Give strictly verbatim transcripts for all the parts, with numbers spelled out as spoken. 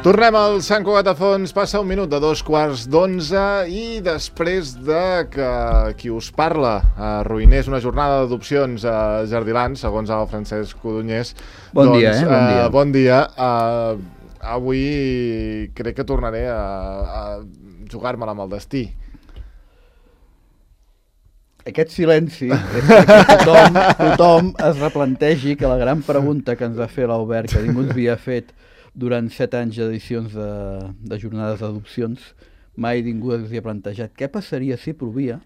Tornem al Sant Cugat a Fons, passa un minut de dos quarts d'onze i després de que qui us parla arruïnés una jornada d'adopcions a Jardiland, segons el Francesc Codonyés. Bon doncs, dia, eh? Bon dia. Uh, bon dia. Uh, avui crec que tornaré a, a jugar-me-la amb el destí. Aquest silenci és perquè tothom, tothom es replantegi que la gran pregunta que ens va fer l'Albert, que ningú ens havia fet durant set anys d'edicions de, de jornades d'adopcions, mai ningú ens havia plantejat què passaria si plovia.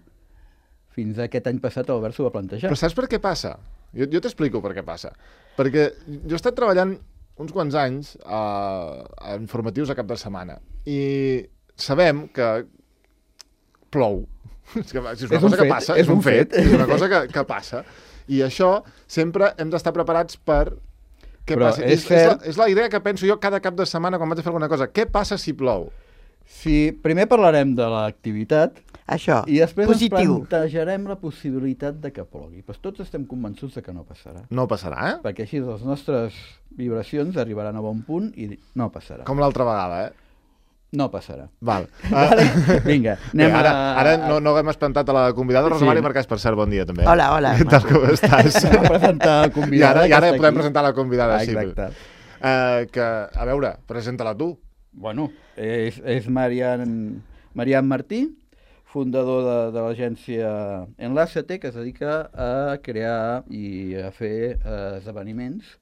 Fins a aquest any passat l'Albert s'ho va plantejar. Però saps per què passa? Jo, jo t'explico per què passa. Perquè jo he estat treballant uns quants anys a, a informatius a cap de setmana i sabem que plou. És, que, és una és cosa fet, que passa, és, és un un fet, fet. és una cosa que, que passa. I això sempre hem d'estar preparats per què Però passa. és És, cert... és, la, és la idea que penso jo cada cap de setmana quan vaig a fer alguna cosa. Què passa si plou? Si primer parlarem de l'activitat Això, i després positiu. ens plantejarem la possibilitat de que plogui. Però tots estem convençuts de que no passarà. No passarà, eh? Perquè així les nostres vibracions arribaran a bon punt i no passarà. Com l'altra vegada, eh? No passarà. Val. Vale? Vinga, anem Bé, ara, a... ara no, no hem espantat a la convidada. Rosa Sí. Mari Marcàs, per cert, bon dia també. Hola, hola. Què tal, com estàs? Anem a presentar la I convidada. ara, i ara que està podem aquí. presentar la convidada, Ah, sí. exacte. Uh, que, a veure, presenta-la tu. Bueno, és, és Marian, Marian Martí, fundador de, de l'agència Enlàcete, que es dedica a crear i a fer eh, esdeveniments,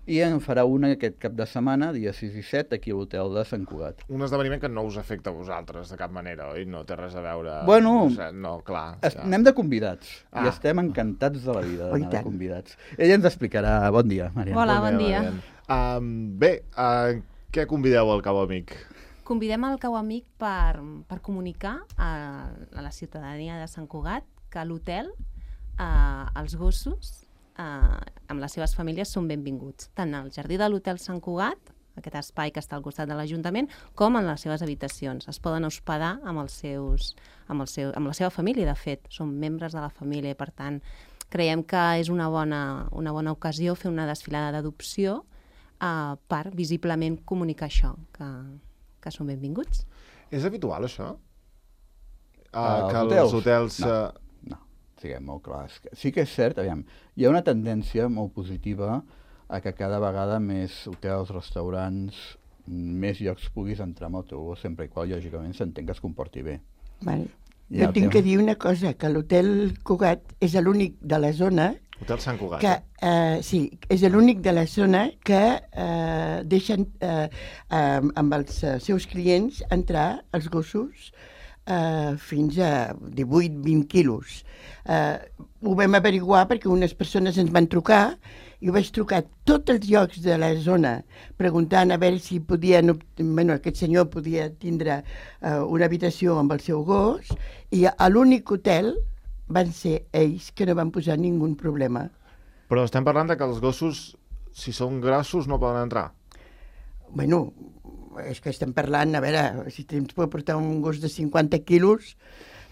i en farà una aquest cap de setmana, dia sis i set, aquí a l'hotel de Sant Cugat. Un esdeveniment que no us afecta a vosaltres de cap manera, oi? No té res a veure... Bueno, no, sé, no clar. Es, Ja. anem de convidats, Ah. i estem encantats de la vida Oh, i d'anar de tant. convidats. Ella ens explicarà. Bon dia, Marian. Hola, bon dia. Marian. Um, bé, uh, què convideu al Cau Amic? Convidem el Cau Amic per, per comunicar a, a la ciutadania de Sant Cugat que a l'hotel eh, els gossos eh, amb les seves famílies són benvinguts, tant al jardí de l'hotel Sant Cugat, aquest espai que està al costat de l'Ajuntament, com en les seves habitacions. Es poden hospedar amb, els seus, amb, el seu, amb la seva família, de fet, són membres de la família i, per tant, creiem que és una bona, una bona ocasió fer una desfilada d'adopció eh, per visiblement comunicar això, que, que són benvinguts. És habitual, això? Uh, Els que hotels? els hotels... No. Uh, No, siguem molt clars. Sí que és cert, aviam, hi ha una tendència molt positiva a que cada vegada més hotels, restaurants, més llocs puguis entrar amb el teu gos, sempre i qual, lògicament, s'entén que es comporti bé. Vale. Ja Jo el tinc tema. que dir una cosa, que l'hotel Cugat és l'únic de la zona Hotel Sant Cugat. que, eh? eh, sí, és l'únic de la zona que eh, deixen eh, eh, amb els eh, seus clients entrar els gossos eh, fins a divuit vint quilos. Eh, ho vam averiguar perquè unes persones ens van trucar i ho vaig trucar a tots els llocs de la zona preguntant a veure si podien, bueno, aquest senyor podia tindre eh, una habitació amb el seu gos i a l'únic hotel van ser ells que no van posar ningú problema. Però estem parlant de que els gossos, si són grossos, no poden entrar. Bueno, és que estem parlant, a veure, si tens pot portar un gos de cinquanta quilos,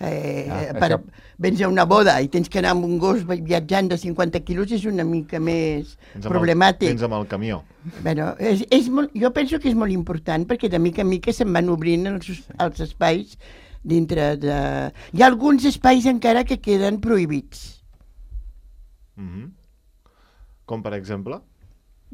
eh, Ah, per, això- vens a una boda i tens que anar amb un gos viatjant de cinquanta quilos és una mica més Vens amb problemàtic. El, vens amb el camió. Bueno, és, és molt, jo penso que és molt important perquè de mica en mica se'n van obrint els, els espais dintre de... Hi ha alguns espais encara que queden prohibits. Mm -hmm. Com, per exemple?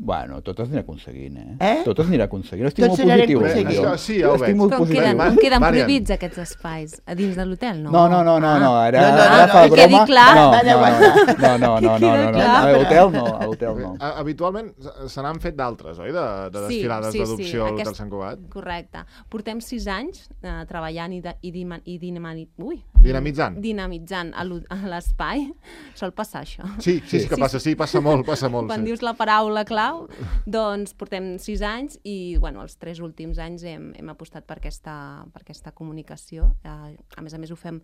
Bueno, tot es anirà aconseguint, eh? Eh? Tot es anirà aconseguint. Estic Tot molt s'anirà positiu. aconseguint. eh? Això, sí, ja ho Estic veig. molt Com positiu. queden, Ma- com queden Marian. prohibits aquests espais? A dins de l'hotel, no? No, no, no, no, no, ara, No, no, no, ara no, fa que quedi broma. clar. No, Va, no, va, no, no, no, no, Que no, quedi no, no, clar. a l'hotel no, a l'hotel no. A- Habitualment se n'han fet d'altres, oi? De, de Sí, desfilades sí, d'adopció sí, a l'Hotel aquest- Sant Cugat. Correcte. Portem sis anys eh, treballant i, de, i, dima, i dinama, ui, Dinamitzant. dinamitzant a l'ho- a l'espai. Sol passar això. Sí, sí, sí, que Sí, passa, sí, passa molt, passa molt. Quan sí. dius la paraula clau, doncs portem sis anys i bueno, els tres últims anys hem, hem apostat per aquesta, per aquesta comunicació. Eh, a més a més ho fem...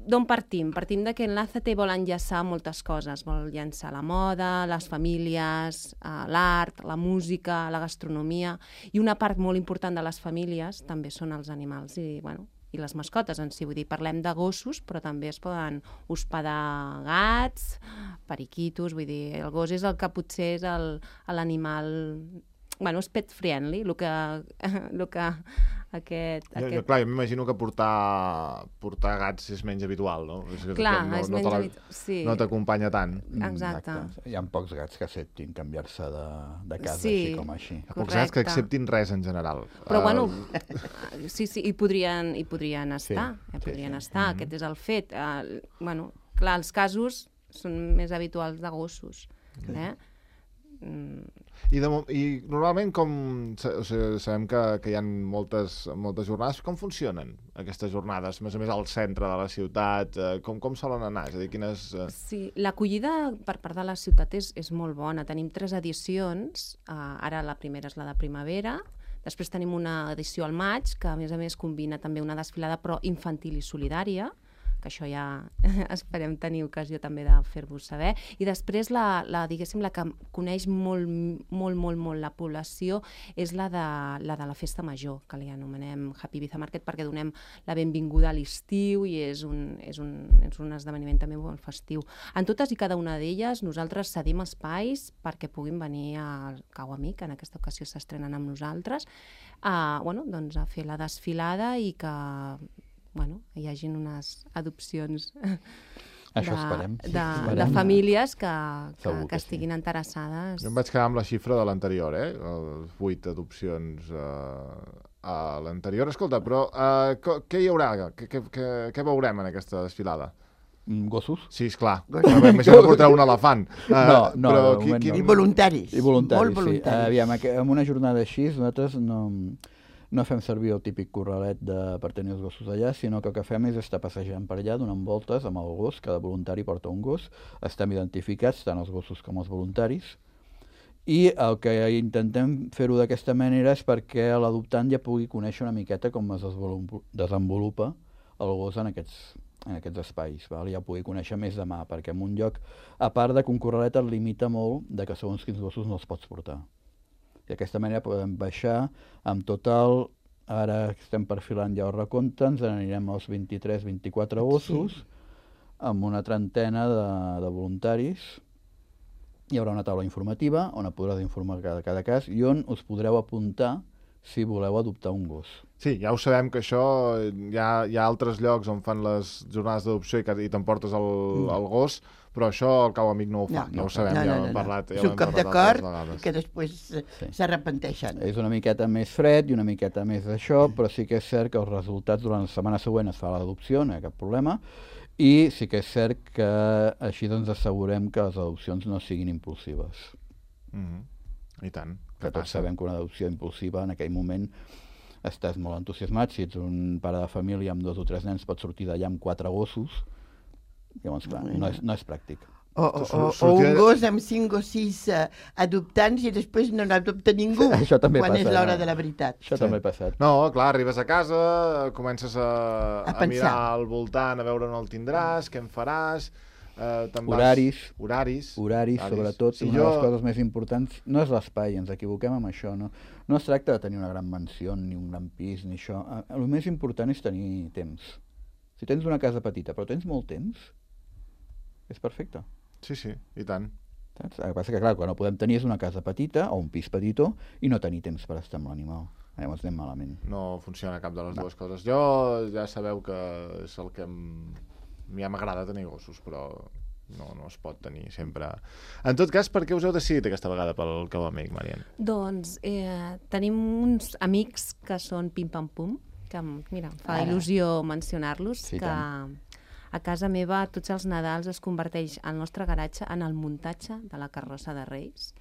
D'on partim? Partim de que Enlàcete vol enllaçar moltes coses. Vol llançar la moda, les famílies, eh, l'art, la música, la gastronomia, i una part molt important de les famílies també són els animals i, bueno, i les mascotes en si. Vull dir, parlem de gossos, però també es poden hospedar gats, periquitos, vull dir, el gos és el que potser és el- l'animal bueno, és pet friendly, el que, el que aquest... Jo, aquest... jo, clar, jo m'imagino que portar, portar gats és menys habitual, no? És que Clar, no, és no menys te la- habitual, sí. No t'acompanya tant. Mm, Exacte. Hi ha pocs gats que acceptin canviar-se de, de casa Sí. així com així. Hi ha pocs gats que Correcte. acceptin res en general. Però, Uh, bueno, sí, sí, hi podrien, hi podrien estar, Sí, hi podrien sí, sí. estar, aquest és el fet. Uh, bueno, clar, els casos són més habituals de gossos, eh? Mm, I, de, mo- I normalment com... O sigui, sabem que, que hi ha moltes, moltes jornades. Com funcionen aquestes jornades? Més a més al centre de la ciutat, eh, com, com solen anar? És a dir, quines... Eh... sí, l'acollida per part de la ciutat és, és molt bona. Tenim tres edicions, uh, ara la primera és la de primavera, després tenim una edició al maig, que a més a més combina també una desfilada però infantil i solidària, que això ja esperem tenir ocasió també de fer-vos saber. I després, la, la, diguéssim, la que coneix molt, molt, molt, molt la població és la de la, de la festa major, que li anomenem Happy Ibiza Market, perquè donem la benvinguda a l'estiu i és un, és, un, és un esdeveniment també molt festiu. En totes i cada una d'elles nosaltres cedim espais perquè puguin venir al Cau Amic, en aquesta ocasió s'estrenen amb nosaltres, a, bueno, doncs a fer la desfilada i que bueno, hi hagin unes adopcions Això de, esperem. Sí, de, de esperem. famílies que, que, Segur que que sí. estiguin interessades. Jo em vaig quedar amb la xifra de l'anterior, eh? Els vuit adopcions eh, a l'anterior. Escolta, però eh, co- què hi haurà? Què, què, què, què veurem en aquesta desfilada? Mm, Gossos? Sí, esclar. Gossos. M'imagino que portarà un elefant. Eh, No, no, però de qui- moment qui- no. I voluntaris. I voluntaris, Molt voluntaris. sí. Aviam, aqu- en una jornada així nosaltres no, no fem servir el típic corralet de, per tenir els gossos allà, sinó que el que fem és estar passejant per allà, donant voltes amb el gos, cada voluntari porta un gos, estem identificats, tant els gossos com els voluntaris, i el que intentem fer-ho d'aquesta manera és perquè l'adoptant ja pugui conèixer una miqueta com es desvolu- desenvolupa el gos en aquests, en aquests espais, val? Ja pugui conèixer més de mà, perquè en un lloc, a part de que un corralet et limita molt de que segons quins gossos no els pots portar. I d'aquesta manera podem baixar amb total, ara estem perfilant ja el recompte, ens anirem als vint-i-tres vint-i-quatre gossos, amb una trentena de, de voluntaris. Hi haurà una taula informativa on et podràs informar cada, cada cas i on us podreu apuntar si voleu adoptar un gos. Sí, ja ho sabem que això hi ha, hi ha altres llocs on fan les jornades d'adopció i, que- i t'emportes el, Mm. el gos, però això el Cau Amic no ho fa, No, ja no, ho sabem, no, ja no, ho hem no. parlat. Ja És ho un hem cop parlat d'acord altres vegades. que després eh, Sí. s'arrepenteixen. És una miqueta més fred i una miqueta més d'això, però sí que és cert que els resultats durant la setmana següent es fa l'adopció, no hi ha cap problema, i sí que és cert que així doncs assegurem que les adopcions no siguin impulsives. Mhm. I tant. Que Què tots passa? sabem que una adopció impulsiva en aquell moment estàs molt entusiasmat, si ets un pare de família amb dos o tres nens pots sortir d'allà amb quatre gossos, llavors clar, no és, no és pràctic. O, o, o, o Sortir- un gos amb cinc o sis uh, adoptants i després no n'adopta ningú Això també quan passa, és l'hora no? de la veritat. Això Sí. també ha passat. No, clar, arribes a casa, comences a, A a, pensar. mirar al voltant, a veure on el tindràs, què en faràs... Eh, te'n vas- Horaris. Horaris. Horaris, sobretot, Sí, una jo... de les coses més importants no és l'espai, ens equivoquem amb això, no? No es tracta de tenir una gran mansió, ni un gran pis, ni això. Eh, El més important és tenir temps. Si tens una casa petita però tens molt temps, és perfecte. Sí, sí, i tant. Saps? El que passa que, clar, quan no podem tenir és una casa petita o un pis petitó i no tenir temps per estar amb l'animal. Llavors anem malament. No funciona cap de les No. dues coses. Jo ja sabeu que és el que em... a mi ja m'agrada tenir gossos, però no, no es pot tenir sempre. En tot cas, per què us heu decidit aquesta vegada pel Cau Amic, Marian? Doncs eh, tenim uns amics que són Pim Pam Pum, que em- mira, em fa Ara. il·lusió mencionar-los, Sí, que tant. a casa meva tots els Nadals es converteix el nostre garatge en el muntatge de la carrossa de Reis.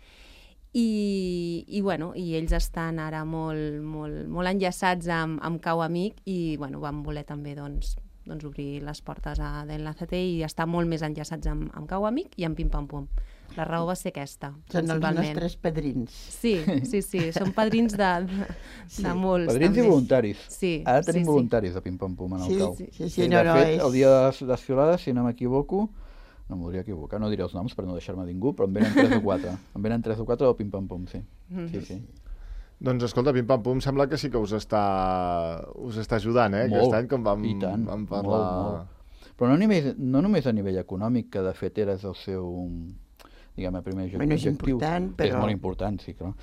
I, i, bueno, i ells estan ara molt, molt, molt enllaçats amb, amb Cau Amic i bueno, vam voler també doncs, doncs obrir les portes a d'Enlázate i estar molt més enllaçats amb, amb Cau Amic i amb Pim Pam Pum. La raó va ser aquesta, Són els principalment. nostres padrins. Sí, sí, sí, són padrins de, de, Sí. de molts. Padrins i també. voluntaris. Sí, Ara tenim sí, sí. voluntaris de Pim Pam Pum en el Sí, cau. sí, sí, sí, no, de no, fet, és- el dia de les desfilades, si no m'equivoco, no em voldria equivocar, no diré els noms per no deixar-me ningú, però en venen tres o quatre. En venen tres o quatre del Pim Pam Pum, sí. Mhm. Sí, sí. Doncs escolta, Pim Pam Pum sembla que sí que us està, us està ajudant, eh? Molt, Aquest any, com vam, i tant, vam parlar... molt, molt. Però no, només, no només a nivell econòmic, que de fet era el seu, diguem, el primer Bueno, és objectiu. important, però- És molt important, sí, clar.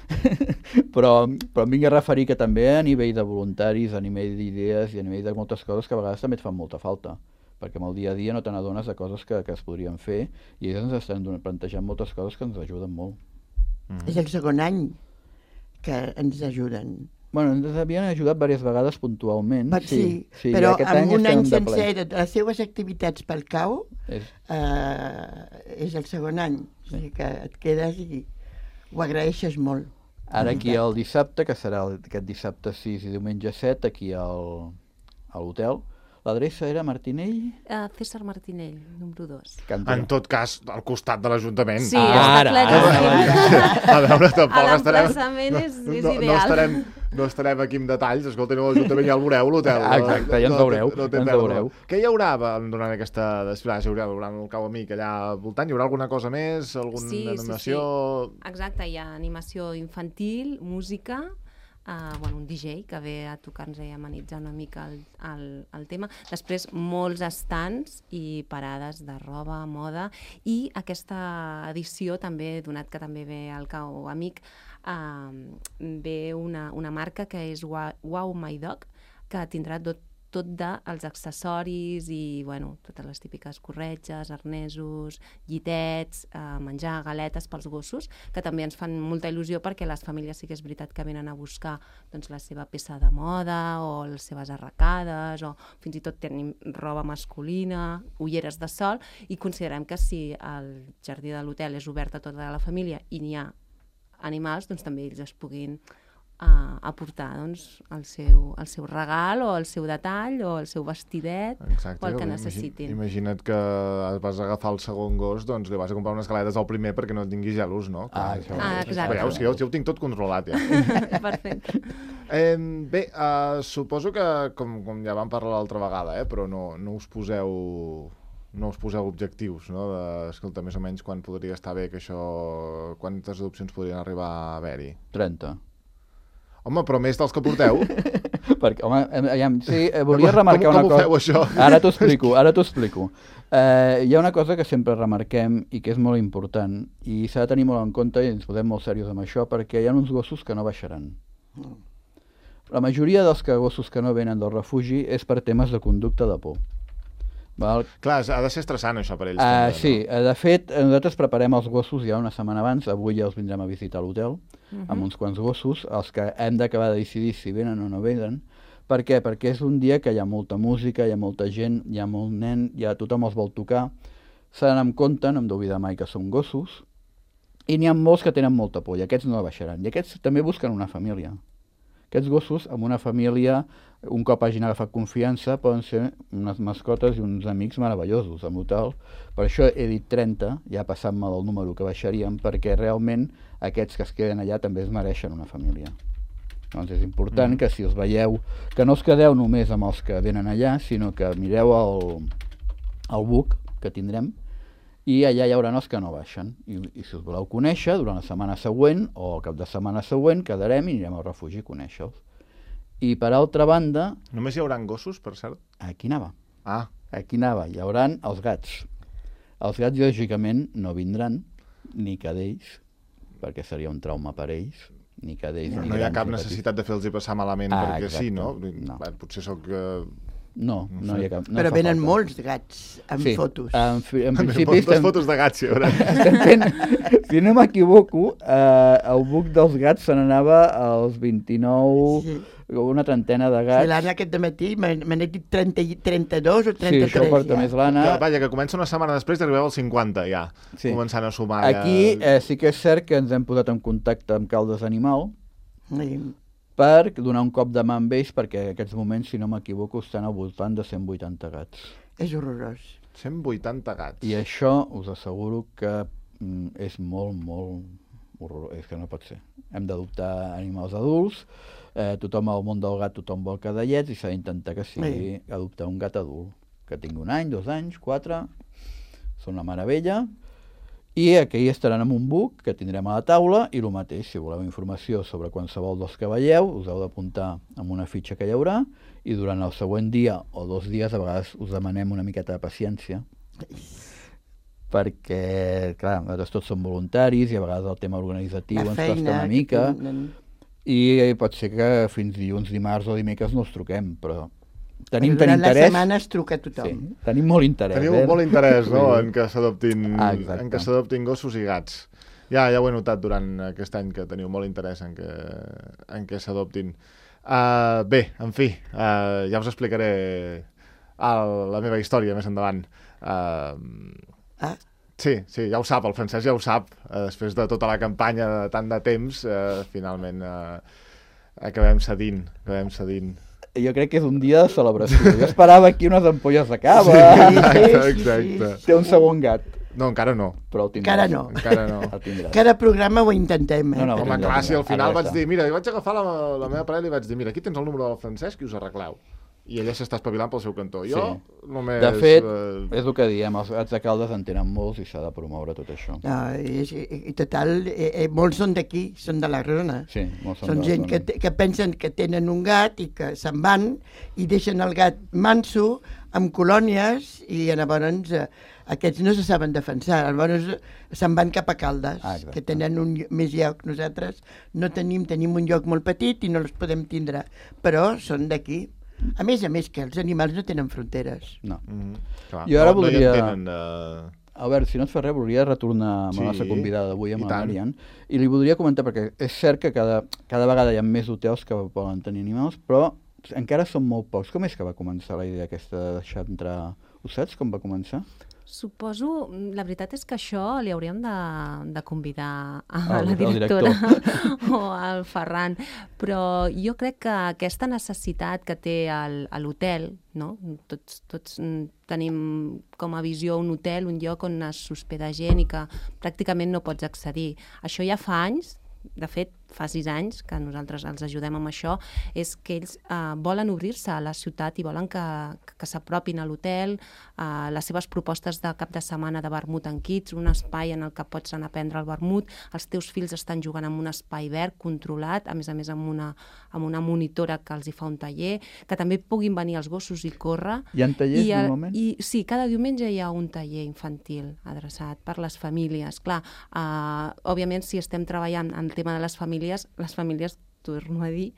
però, però em vinc a referir que també a nivell de voluntaris, a nivell d'idees i a nivell de moltes coses que a vegades també et fan molta falta, perquè amb el dia a dia no te n'adones de coses que, que es podrien fer i ells ens estan donant- plantejant moltes coses que ens ajuden molt. Mm. És el segon any que ens ajuden. Bueno, ens havien ajudat diverses vegades puntualment. Per, sí, sí, però aquest amb un estem any de ple. sencer de les seves activitats pel cau És, eh, és el segon any. O sigui que et quedes i ho agraeixes molt. Ara La aquí veritat. el dissabte, que serà el- aquest dissabte sis i diumenge set, aquí al, a l'hotel. L'adreça era Martinell? Uh, César Martinell, número dos. Cantonada. En tot cas, al costat de l'Ajuntament. Sí, Ah, està ara, claríssim. A veure, tampoc A estarem... l'emplaçament és, és no, no, ideal. estarem, no estarem aquí amb detalls. Escolta, no, l'Ajuntament ja el veureu, l'hotel. Ah, exacte, ja ens No- veureu, no té ja ens pèrdua. veureu. Què hi haurà durant aquesta desfilada? Hi haurà durant el Cau Amic allà al voltant? Hi haurà alguna cosa més? Alguna Sí, sí, animació? Exacte, hi ha animació infantil, música, uh, bueno, un D J que ve a tocar-nos i amenitzar una mica el, el, el tema. Després, molts estants i parades de roba, moda, i aquesta edició també, donat que també ve al Cau Amic, uh, ve una, una marca que és Wa- Wow My Dog, que tindrà tot tot dels accessoris i, bueno, totes les típiques corretges, arnesos, llitets, eh, menjar, galetes pels gossos, que també ens fan molta il·lusió perquè les famílies sí que és veritat que venen a buscar doncs, la seva peça de moda o les seves arracades o fins i tot tenim roba masculina, ulleres de sol, i considerem que si el jardí de l'hotel és obert a tota la família i n'hi ha animals, doncs també ells es puguin a aportar doncs, el, seu, el seu regal o el seu detall o el seu vestidet Exacte, o el que imagi- necessitin. Imagina't que vas a agafar el segon gos, doncs li vas a comprar unes galetes al primer perquè no et tinguis gelos, no? Ah, Clar, això. Ah, exacte. Veieu, sí, jo, jo ho tinc tot controlat, ja. Perfecte. Eh, bé, uh, suposo que, com, com ja vam parlar l'altra vegada, eh, però no, no us poseu no us poseu objectius, no? De, escolta, més o menys quan podria estar bé que això... Quantes adopcions podrien arribar a haver-hi? trenta. Home, però més dels que porteu? Perquè, home, em- aviam, sí, eh, volia remarcar com, una com cosa. ho feu, això? Ara t'ho explico, ara t'ho explico. Eh, hi ha una cosa que sempre remarquem i que és molt important i s'ha de tenir molt en compte i ens posem molt serios amb això perquè hi ha uns gossos que no baixaran. La majoria dels que gossos que no venen del refugi és per temes de conducta de por. Val? Clar, ha de ser estressant això per ells. Uh, també, sí, eh, de fet, eh, nosaltres preparem els gossos ja una setmana abans, avui ja els vindrem a visitar a l'hotel, uh -huh. amb uns quants gossos, els que hem d'acabar de decidir si venen o no venen. Per què? Perquè és un dia que hi ha molta música, hi ha molta gent, hi ha molt nen, ja tothom els vol tocar, s'ha d'anar amb compte, no hem d'oblidar mai que són gossos, i n'hi ha molts que tenen molta por, i aquests no baixaran, i aquests també busquen una família. Aquests gossos, amb una família, un cop hagin agafat confiança, poden ser unes mascotes i uns amics meravellosos amb l'hotel. Per això he dit trenta, ja passant-me del número que baixaríem, perquè realment aquests que es queden allà també es mereixen una família. Doncs és important mm. que si els veieu, que no us quedeu només amb els que venen allà, sinó que mireu el, el book que tindrem, i allà hi haurà els que no baixen. I, I si us voleu conèixer, durant la setmana següent o el cap de setmana següent, quedarem i anirem al refugi a conèixer-los. I per altra banda, Només hi haurà gossos, per cert? aquí anava. Ah, Aquí anava. Hi hauran els gats. Els gats, lògicament, no vindran, ni cadells, perquè seria un trauma per ells, ni cadells, no, ni no hi ha grans cap ni petits. necessitat de fer-los passar malament Ah, perquè exacte. sí, no? No. Bé, potser sóc... Uh... No, No no sé. hi ha cap... No Però fa venen falta. molts gats amb sí. fotos. En, fi- en principi Moltes estem, fotos de gats, hi haurà. estem fent, si no m'equivoco, eh, el buc dels gats se n'anava als vint-i-nou, Sí. una trentena de Sí, gats. l'Anna aquest dematí me me n'he dit trenta, i- trenta-dos o Sí, trenta-tres. això porta ja. més l'Anna. Que, vaja, que comença una setmana després i arribeu als cinquanta, ja. Sí. Començant a sumar. Aquí ja... eh, sí que és cert que ens hem posat en contacte amb Caldes Animal Sí. per donar un cop de mà amb ells, perquè en aquests moments, si no m'equivoco, estan al voltant de cent vuitanta gats. És horrorós. cent vuitanta gats. I això us asseguro que mm, és molt, molt horrorós. És que no pot ser. Hem d'adoptar animals adults, eh, tothom al món del gat, tothom vol cadellets, i s'ha d'intentar que sigui Sí. adoptar un gat adult, que tingui un any, dos anys, quatre, són una meravella. I aquí estaran amb un book que tindrem a la taula, i el mateix, si voleu informació sobre qualsevol dels que veieu, us heu d'apuntar amb una fitxa que hi haurà, i durant el següent dia o dos dies, a vegades us demanem una miqueta de paciència, perquè, clar, nosaltres tots som voluntaris i a vegades el tema organitzatiu La ens feina costa una que mica tenen. i pot ser que fins dilluns, dimarts o dimecres no els truquem, però tenim, Durant tenim la interès. setmana es truca a tothom. Sí, tenim molt interès. Teniu eh? molt interès, no?, Sí. en que s'adoptin Ah, exacte. en que s'adoptin gossos i gats. Ja, ja ho he notat durant aquest any, que teniu molt interès en que, en que s'adoptin. Uh, bé, en fi, uh, ja us explicaré el, la meva història més endavant. Uh, Ah, sí, sí, ja ho sap, el Francesc ja ho sap. Uh, després de tota la campanya de tant de temps, uh, finalment uh, acabem cedint, acabem cedint. Jo crec que és un dia de celebració. Jo esperava aquí unes ampolles de cava. Exacte, sí, sí. exacte. Té un segon gat, No, encara no. però el tindràs. Encara no. Encara no. El tindràs. cada programa ho intentem, eh? No, no, però- Home, clar, si al final Ara vaig està. dir, mira, vaig agafar la, la meva parella i vaig dir, mira, aquí tens el número del Francesc i us arregleu. I ella s'està espavilant pel seu cantó. Jo Sí. només... De fet, eh, és el que diem, els gats de Caldes en tenen molts i s'ha de promoure tot això. No, i, i, i total, eh, eh, molts són d'aquí, són de la zona. Sí, molts Són de la gent zona. que, te- que pensen que tenen un gat i que se'n van i deixen el gat manso amb colònies i llavors eh, aquests no se saben defensar, llavors se'n van cap a Caldes, Ah, exacte. que tenen un, llo- més lloc. Nosaltres no tenim, tenim un lloc molt petit i no els podem tindre, però són d'aquí. A més a més que els animals no tenen fronteres. No. mhm, clar, Jo ara no, voldria- No hi entenen, eh, Albert, si no et fa res, volia retornar amb Sí, la nostra convidada d'avui, amb i la tant. Marian, i li voldria comentar, perquè és cert que cada, cada vegada hi ha més hotels que poden tenir animals, però encara són molt pocs. Com és que va començar la idea aquesta de deixar entrar? Ho saps com va començar? Suposo, la veritat és que això li hauríem de, de convidar a El- la el directora o al Ferran, però jo crec que aquesta necessitat que té el- a l'hotel, no? tots, tots mm, tenim com a visió un hotel, un lloc on es s'hospeda gent i que pràcticament no pots accedir. Això ja fa anys, de fet, fa sis anys que nosaltres els ajudem amb això, és que ells eh, volen obrir-se a la ciutat i volen que, que s'apropin a l'hotel, eh, les seves propostes de cap de setmana de vermut en kits, un espai en el que pots anar a prendre el vermut, els teus fills estan jugant en un espai verd controlat, a més a més amb una, amb una monitora que els hi fa un taller, que també puguin venir els gossos i córrer. Hi ha tallers, I, el- normalment? I, sí, cada diumenge hi ha un taller infantil adreçat per les famílies. Clar, eh, òbviament, si estem treballant en el tema de les famílies, les famílies, torno a dir,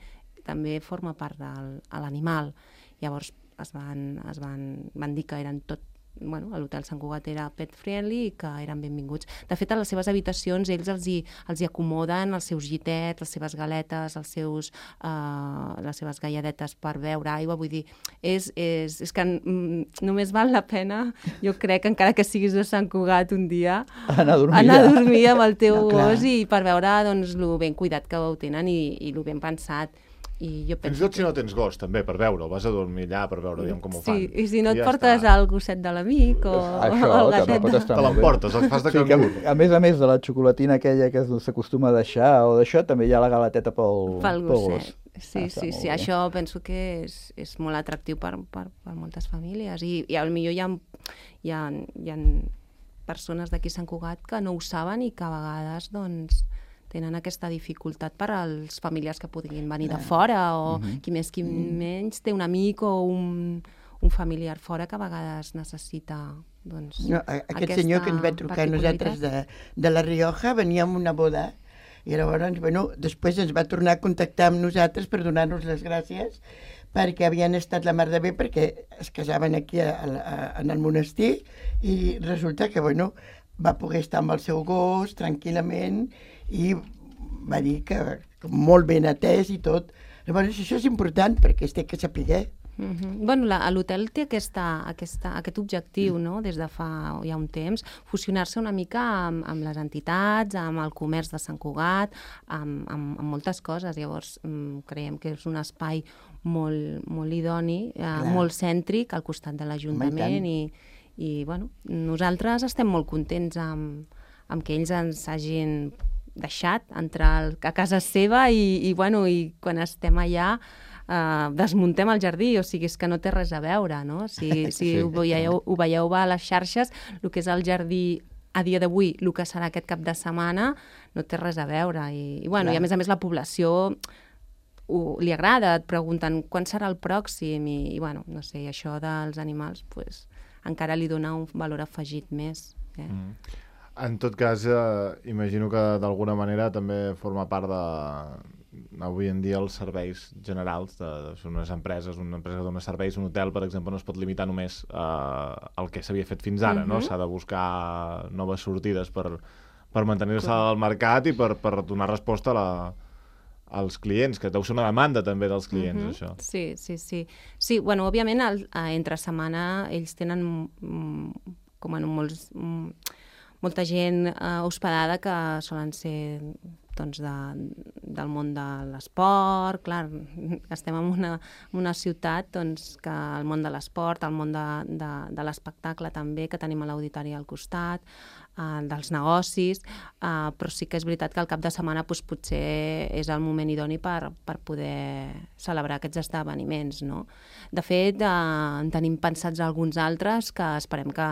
també forma part del a l'animal. Llavors es van, es van, van dir que eren tot, bueno, l'hotel Sant Cugat era pet friendly i que eren benvinguts. De fet, a les seves habitacions ells els hi, els hi acomoden els seus gitets, les seves galetes, els seus, uh, les seves galladetes per beure aigua. Vull dir, és, és, és que mm, només val la pena, jo crec, encara que siguis de Sant Cugat un dia, Anar a dormir. anar a dormir amb el teu No, clar. gos i per veure doncs, lo ben cuidat que ho tenen i, i lo ben pensat. I jo Fins i penso tot si no tens gos, també, per veure-ho. Vas a dormir allà per veure aviam com ho fan. Sí, i si no et ja portes està. el gosset de l'amic o Això el també gatet. pot de- estar Te molt bé. l'emportes, el fas de Sí, que, cangur. a més a més de la xocolatina aquella que s'acostuma a deixar o d'això, també hi ha la galeteta pel, Pel pel gosset. gos. Sí, Ah, està sí, molt sí. bé. Això penso que és, és molt atractiu per, per, per moltes famílies. I, i potser hi ha, hi ha, hi ha persones d'aquí a Sant Cugat que no ho saben i que a vegades doncs, tenen aquesta dificultat per als familiars que puguin venir de fora o Mhm. qui més qui menys té un amic o un, un familiar fora que a vegades necessita doncs, No, a- aquest aquesta senyor que ens va trucar a nosaltres de, de La Rioja venia amb una boda i llavors, bueno, després ens va tornar a contactar amb nosaltres per donar-nos les gràcies perquè havien estat la mar de bé perquè es casaven aquí a, a, en el monestir i resulta que, bueno, va poder estar amb el seu gos tranquil·lament i va dir que, que molt ben atès i tot. Llavors, això és important perquè es té que saber. Mhm. Bueno, la- a l'hotel té aquesta, aquesta, aquest objectiu, no?, des de fa ja un temps, fusionar-se una mica amb, amb les entitats, amb el comerç de Sant Cugat, amb, amb, amb moltes coses. Llavors, mm, creiem que és un espai molt, molt idoni, eh, molt cèntric, al costat de l'Ajuntament i, i, bueno, nosaltres estem molt contents amb, amb que ells ens hagin deixat entrar al- a casa seva i, i, bueno, i quan estem allà Uh, desmuntem el jardí, o sigui, és que no té res a veure, no? Si, si Sí. ho, veieu, ho veieu a les xarxes, el que és el jardí a dia d'avui, el que serà aquest cap de setmana, no té res a veure. I, i, bueno, i a més a més la població ho, li agrada, et pregunten quan serà el pròxim i, i bueno, no sé, això dels animals pues, encara li dona un valor afegit més. Eh? Mm. En tot cas, eh, imagino que d'alguna manera també forma part de, avui en dia, els serveis generals de, de unes empreses, una empresa que dona serveis, un hotel, per exemple, no es pot limitar només eh, al que s'havia fet fins ara, uh-huh. no? S'ha de buscar noves sortides per, per mantenir-se al mercat i per, per donar resposta a la, als clients, que deu ser una demanda també dels clients, uh-huh. això. Sí, sí, sí. Sí, bueno, òbviament, el, entre setmana ells tenen mm, com en molts, mm, molta gent eh, hospedada que solen ser doncs, de, del món de l'esport. Clar, estem en una, en una ciutat doncs, que el món de l'esport, el món de, de, de l'espectacle també, que tenim a l'auditori al costat, eh, dels negocis, eh, però sí que és veritat que el cap de setmana doncs, potser és el moment idoni per, per poder celebrar aquests esdeveniments, no? De fet, eh, en tenim pensats alguns altres que esperem que,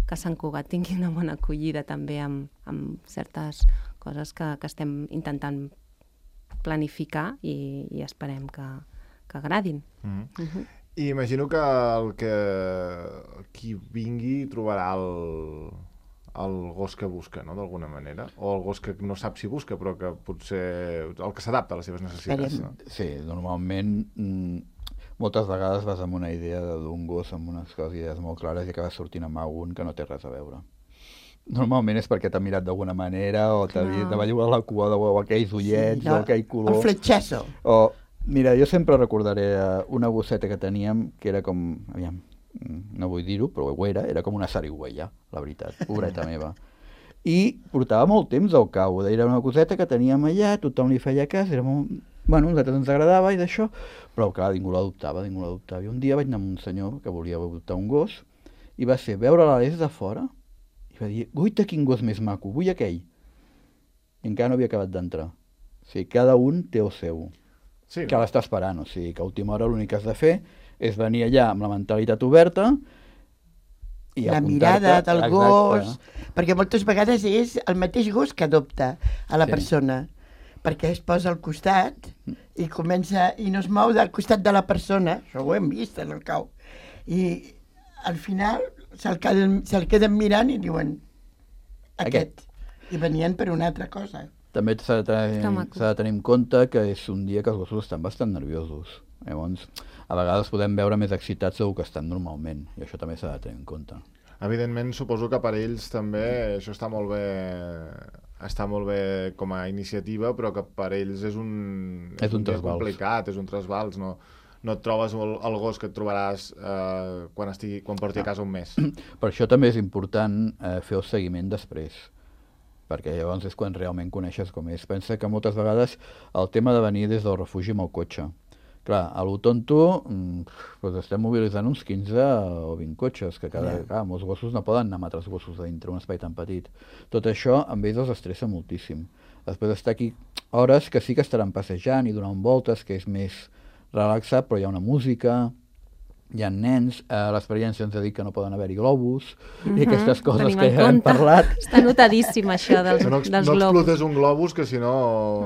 que Sant Cugat tingui una bona acollida també amb, amb certes coses que, que estem intentant planificar i, i esperem que, que agradin. Mm-hmm. Uh-huh. I imagino que el que qui vingui trobarà el, el gos que busca, no?, d'alguna manera, o el gos que no sap si busca, però que potser el que s'adapta a les seves necessitats. No? Sí, normalment mm, moltes vegades vas amb una idea d'un gos, amb unes coses, idees molt clares, i acabes sortint amb algun que no té res a veure. Normalment és perquè t'ha mirat d'alguna manera o t'ha no. vist, va lliurar la cua o aquells ullets sí, no, o aquell color. El fletxasso. O, mira, jo sempre recordaré una gosseta que teníem que era com, aviam, no vull dir-ho, però ho era, era com una sarigüeya, la veritat, pobreta meva. I portava molt temps al cau, era una coseta que teníem allà, tothom li feia cas, era molt... Bueno, a nosaltres ens agradava i d'això, però clar, ningú l'adoptava, ningú l'adoptava. I un dia vaig anar amb un senyor que volia adoptar un gos i va ser veure-la des de fora va dir, guaita, quin gos més maco, vull aquell. I encara no havia acabat d'entrar. O sigui, cada un té el seu. Sí, que no? L'està esperant, o sigui, que a última hora l'únic que has de fer és venir allà amb la mentalitat oberta i la mirada del exacte. Gos, perquè moltes vegades és el mateix gos que adopta a la sí. persona, perquè es posa al costat i comença, i no es mou del costat de la persona, això ho hem vist en el cau, i al final se'l queden, se queden mirant i diuen aquest. aquest. I venien per una altra cosa. També s'ha de, tenir, s'ha de tenir en compte que és un dia que els gossos estan bastant nerviosos. Llavors, a vegades podem veure més excitats del que estan normalment, i això també s'ha de tenir en compte. Evidentment, suposo que per ells també això està molt bé, està molt bé com a iniciativa, però que per ells és un, és, és un, un dia complicat, és un trasbals, no? No et trobes el, el gos que et trobaràs eh, quan, estigui, quan porti a casa un mes. Per això també és important eh, fer el seguiment després, perquè llavors és quan realment coneixes com és. Pensa que moltes vegades el tema de venir des del refugi amb el cotxe. Clar, a lo tonto doncs estem mobilitzant uns quinze o vint cotxes, que cada, yeah. clar, molts gossos no poden anar amb altres gossos a dintre un espai tan petit. Tot això amb ells els estressa moltíssim. Després d'estar aquí hores que sí que estaran passejant i donant voltes, que és més relaxat, però hi ha una música, hi ha nens, eh, l'experiència ens ha dit que no poden haver-hi globus, uh-huh. i aquestes coses Tenim que ja hem parlat. Està notadíssim, això dels, no, dels no globus. No explotes un globus, que si no...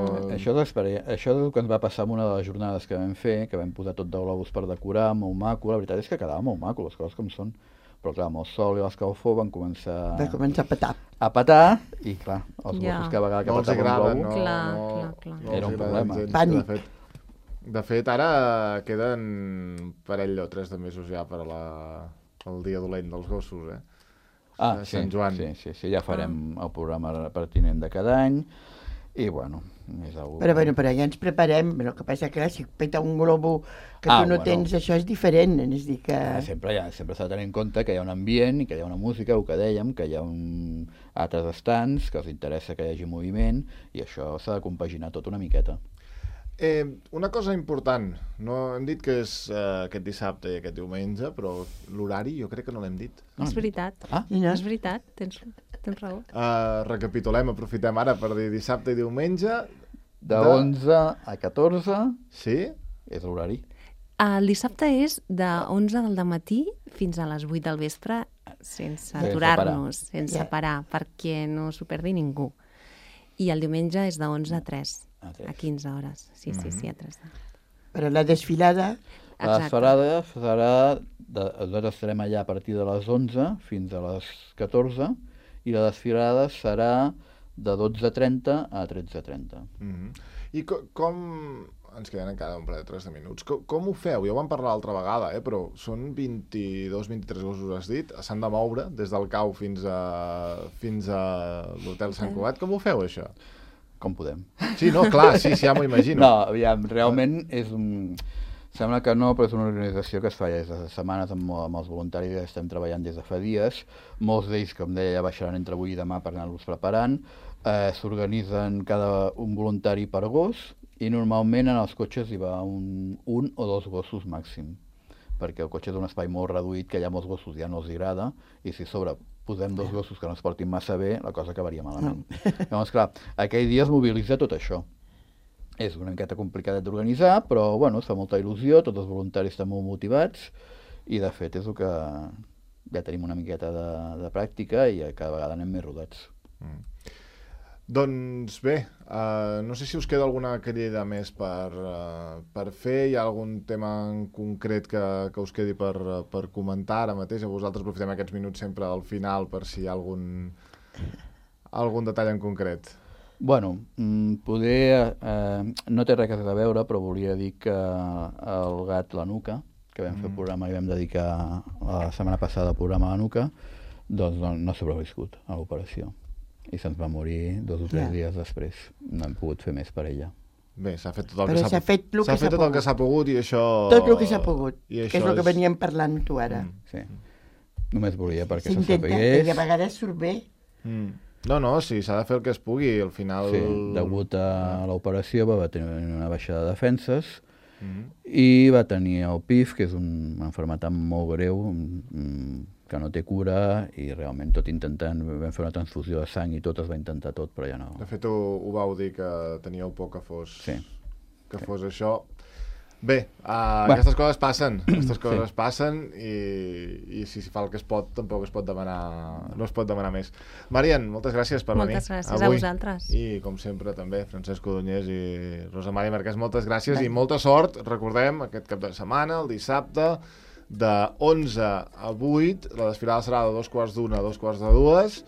Uh. Això, això és el que ens va passar en una de les jornades que vam fer, que vam posar tot de globus per decorar, molt maco, la veritat és que quedava molt maco, les coses com són, però clar, amb el sol i l'escalfor van començar... Va començar a petar. A petar, i clar, els ja. gossos que a vegades que no petaven un globo... No, clar, no, clar, clar. No era un problema. Pànic. De fet, de fet, ara queden un parell o tres de mesos ja per a la, el dia dolent dels gossos, eh? Ah, sí, Sant Joan. sí, sí, sí, ja farem ah. el programa pertinent de cada any, i bueno, és algo... Però, bueno, però ja ens preparem, el que passa que si peta un globo que ah, tu no bueno. tens, això és diferent, és dir que... Ah, sempre ja, sempre s'ha de tenir en compte que hi ha un ambient i que hi ha una música, el que dèiem, que hi ha un... altres estants, que els interessa que hi hagi moviment, i això s'ha de compaginar tot una miqueta. Eh, una cosa important, no hem dit que és eh, aquest dissabte i aquest diumenge, però l'horari jo crec que no l'hem dit. No, és veritat, ah? és veritat, tens, tens raó. Uh, recapitulem, aprofitem ara per dir dissabte i diumenge. De, de... onze a catorze sí? És l'horari. El dissabte és de onze del matí fins a les vuit del vespre, sense aturar-nos, sense yeah. parar, perquè no s'ho perdi ningú. I el diumenge és de onze a tres. A quinze hores, sí, sí, sí, a tres. Però la desfilada... La desfilada serà... De, nosaltres estarem allà a partir de les onze fins a les catorze i la desfilada serà de dotze trenta a tretze trenta. Mm-hmm. I co com... Ens queden encara un parell de tres de minuts. Com, com ho feu? Ja ho vam parlar l'altra vegada, eh? Però són vint-i-dos vint-i-tres gossos, has dit. S'han de moure des del cau fins a, fins a l'hotel Sant Cugat. Com ho feu, això? Com podem. Sí, no, clar, sí, sí, ja m'ho imagino. No, aviam, realment és un... Sembla que no, però és una organització que es fa ja des de setmanes amb, amb els voluntaris, estem treballant des de fa dies. Molts d'ells, com deia, ja baixaran entre avui i demà per anar-los preparant. Eh, S'organitzen cada un voluntari per gos, i normalment en els cotxes hi va un, un o dos gossos màxim, perquè el cotxe és un espai molt reduït que hi ha molts gossos ja no els agrada, i si a sobre posem dos gossos que no es portin massa bé, la cosa acabaria malament. No. Llavors, clar, aquell dia es mobilitza tot això. És una miqueta complicat d'organitzar, però bueno, es fa molta il·lusió, tots els voluntaris estan molt motivats, i de fet és el que ja tenim una miqueta de, de pràctica i cada vegada anem més rodats. Mm. Doncs bé, uh, no sé si us queda alguna crida més per, uh, per fer. Hi ha algun tema en concret que, que us quedi per, per comentar ara mateix? A vosaltres aprofitem aquests minuts sempre al final per si hi ha algun, algun detall en concret. Bueno, poder, eh, no té res a veure, però volia dir que el gat La Nuca, que vam fer el programa i vam dedicar la setmana passada al programa La Nuca, doncs no, no s'ha sobreviscut a l'operació. I se'ns va morir dos o tres ja. dies després. No hem pogut fer més per ella. Bé, s'ha fet tot el Però que s'ha fet, s'ha fet, fet tot el que s'ha pogut i això... Tot el que s'ha pogut, I que és el que és... veníem parlant tu ara. Mm. Sí. Només volia perquè se sapigués... S'intenta, i a vegades surt bé. Mm. No, no, sí, s'ha de fer el que es pugui, al final... Sí, degut a l'operació va tenir una baixada de defenses mm. i va tenir el P I F, que és una malaltia molt greu, que no té cura, i realment tot intentant, vam fer una transfusió de sang i tot es va intentar tot, però ja no... De fet, ho, ho vau dir que teníeu por que fos, sí. que fos sí. això. Bé, uh, aquestes coses passen, aquestes coses sí. passen i, i si s'hi fa el que es pot, tampoc es pot demanar, no es pot demanar més. Marian, moltes gràcies per moltes venir. Moltes gràcies avui. a vosaltres. I, com sempre, també, Francesco Dunyés i Rosa Maria Marquès, moltes gràcies Bé. i molta sort. Recordem, aquest cap de setmana, el dissabte, de onze a vuit, la desfilada serà de dos quarts d'una a dos quarts de dues,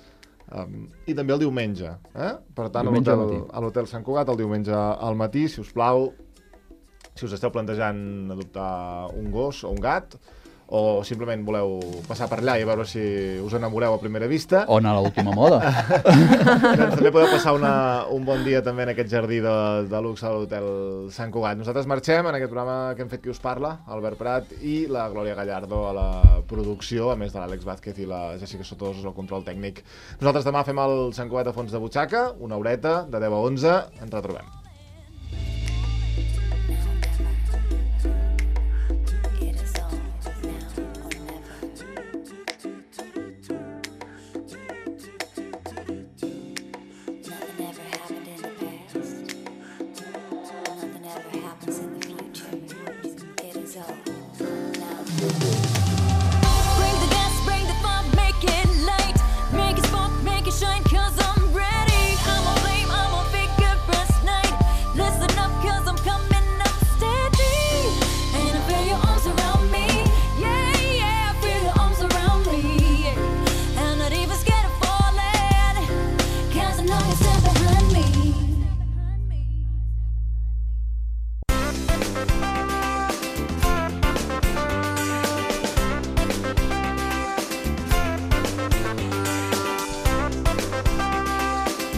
um, i també el diumenge. Eh? Per tant, a l'Hotel Sant Cugat, el diumenge al matí, si us plau, si us esteu plantejant adoptar un gos o un gat, o simplement voleu passar per allà i veure si us enamoreu a primera vista. O anar a l'última moda. Doncs també podeu passar una, un bon dia també en aquest jardí de, de luxe a l'Hotel Sant Cugat. Nosaltres marxem en aquest programa que hem fet Qui us parla, Albert Prat i la Glòria Gallardo a la producció, a més de l'Àlex Vázquez i la Jessica Sotosos al control tècnic. Nosaltres demà fem el Sant Cugat a fons de butxaca, una horeta, de deu a onze, ens retrobem.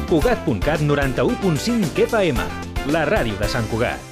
Cugat punt cat noranta-u punt cinc F M, la ràdio de Sant Cugat.